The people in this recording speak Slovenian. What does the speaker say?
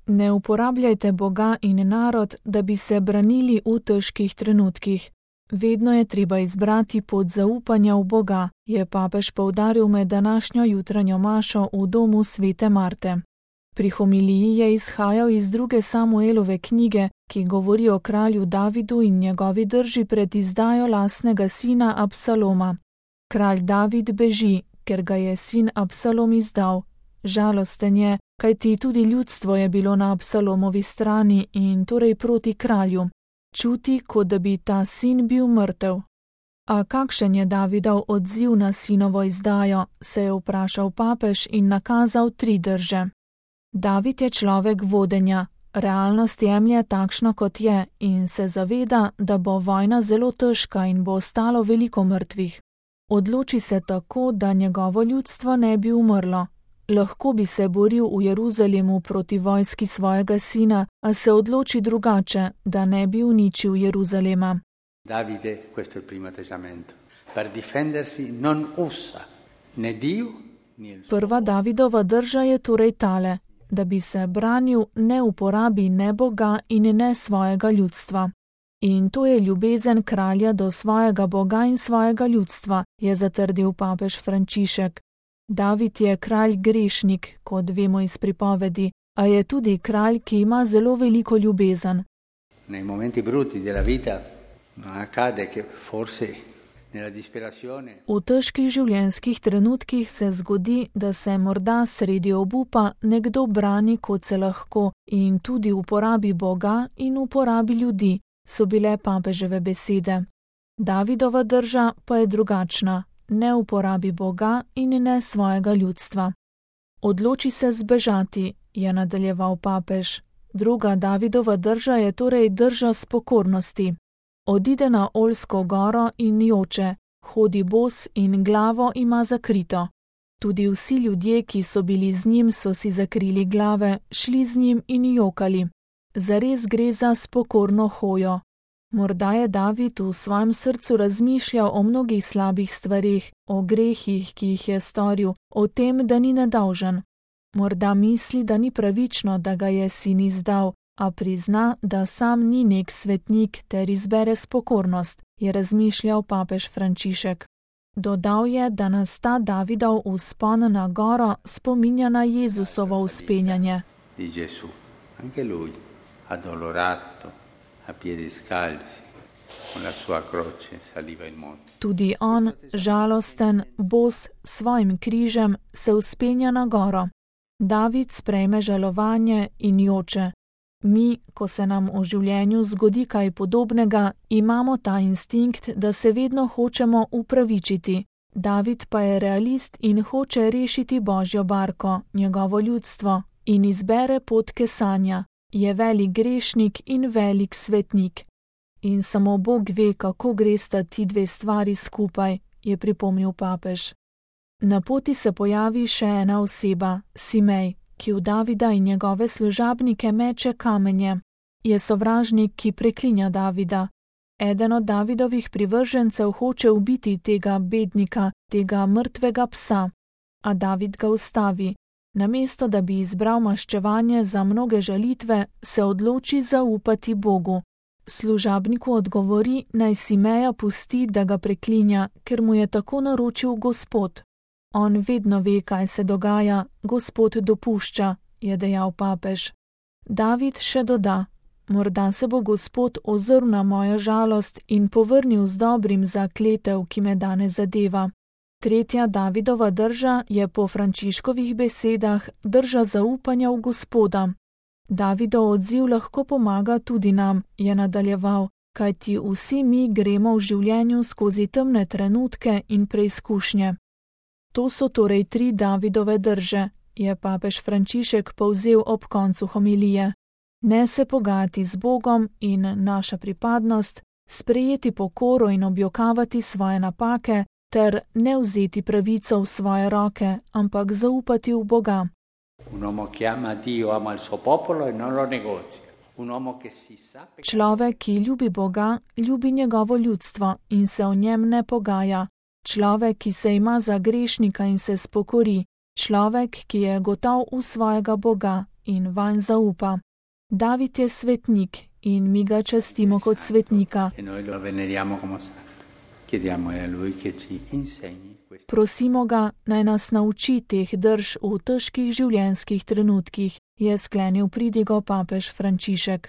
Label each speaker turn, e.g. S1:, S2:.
S1: Ne uporabljajte Boga in narod, da bi se branili v težkih trenutkih. Vedno je treba izbrati pot zaupanja v Boga, je papež poudaril med današnjo jutranjo mašo v domu svete Marte. Pri homiliji je izhajal iz 2. Samuelove knjige, ki govori o kralju Davidu in njegovi drži pred izdajo lastnega sina Absaloma. Kralj David beži, ker ga je sin Absalom izdal. Žalosten je, kajti tudi ljudstvo je bilo na Absalomovi strani in torej proti kralju. Čuti, kot da bi ta sin bil mrtev. A kakšen je Davidov odziv na sinovo izdajo, se je vprašal papež in nakazal 3 drže. David je človek vodenja, realnost jemlje takšno, kot je, in se zaveda, da bo vojna zelo težka in bo ostalo veliko mrtvih. Odloči se tako, da njegovo ljudstvo ne bi umrlo. Lahko bi se boril v Jeruzalemu proti vojski svojega sina, a se odloči drugače, da ne bi uničil Jeruzalema.
S2: Davide, questo è il primo atteggiamento. Per difendersi non usa né Dio né il suo.
S1: Prva Davidova drža je torej tale, da bi se branil, ne uporabi ne Boga in ne svojega ljudstva. In to je ljubezen kralja do svojega Boga in svojega ljudstva, je zatrdil papež Frančišek. David je kralj grešnik, kot vemo iz pripovedi, a je tudi kralj, ki ima zelo veliko ljubezen.
S2: Nei momenti brutti della vita accade che forse nella disperazione.
S1: V težkih življenjskih trenutkih se zgodi, da se morda sredi obupa nekdo brani, kot se lahko, in tudi uporabi Boga in uporabi ljudi, so bile papeževe besede. Davidova drža pa je drugačna. Ne uporabi Boga in ne svojega ljudstva. Odloči se zbežati, je nadaljeval papež. Druga Davidova drža je torej drža spokornosti. Odide na Oljsko goro in joče, hodi bos in glavo ima zakrito. Tudi vsi ljudje, ki so bili z njim, so si zakrili glave, šli z njim in jokali. Zares gre za spokorno hojo. Morda je David v svojem srcu razmišljal o mnogih slabih stvareh, o grehih, ki jih je storil, o tem, da ni nedolžen. Morda misli, da ni pravično, da ga je sin izdal, a prizna, da sam ni nek svetnik ter izbere spokornost, je razmišljal papež Frančišek. Dodal je, da nas ta Davidov vzpon na goro spominja na Jezusovo vzpenjanje.
S2: Di Gesù, anche lui, addolorato, a piedi scalzi, con la sua croce saliva il monte.
S1: Tudi on, žalosten, bos, svojim križem, se vzpenja na goro. David sprejme žalovanje in joče. Mi, ko se nam v življenju zgodi kaj podobnega, imamo ta instinkt, da se vedno hočemo upravičiti. David pa je realist in hoče rešiti Božjo barko, njegovo ljudstvo, in izbere pot kesanja. Je velik grešnik in velik svetnik. In samo Bog ve, kako gresta ti 2 stvari skupaj, je pripomnil papež. Na poti se pojavi še ena oseba, Simej, ki v Davida in njegove služabnike meče kamenje. Je sovražnik, ki preklinja Davida. Eden od Davidovih privržencev hoče ubiti tega bednika, tega mrtvega psa. A David ga ustavi. Namesto da bi izbral maščevanje za mnoge žalitve, se odloči zaupati Bogu. Služabniku odgovori, naj Simeja pusti, da ga preklinja, ker mu je tako naročil Gospod. On vedno ve, kaj se dogaja, Gospod dopušča, je dejal papež. David še doda, morda se bo Gospod ozrl na mojo žalost in povrnil z dobrim za kletev, ki me danes zadeva. Tretja Davidova drža je po Frančiškovih besedah drža zaupanja v Gospoda. Davidov odziv lahko pomaga tudi nam, je nadaljeval, kajti vsi mi gremo v življenju skozi temne trenutke in preizkušnje. To so torej 3 Davidove drže, je papež Frančišek povzel ob koncu homilije. Ne se pogajati z Bogom in naša pripadnost, sprejeti pokoro in objokavati svoje napake, ter ne vzeti pravico v svoje roke, ampak zaupati v Boga. Človek, ki ljubi Boga, ljubi njegovo ljudstvo in se o njem ne pogaja. Človek, ki se ima za grešnika in se spokori. Človek, ki je gotov v svojega Boga, in vanj zaupa. David je svetnik in mi ga častimo kot svetnika. Prosimo ga, naj nas nauči teh drž v težkih življenjskih trenutkih, je sklenil pridigo papež Frančišek.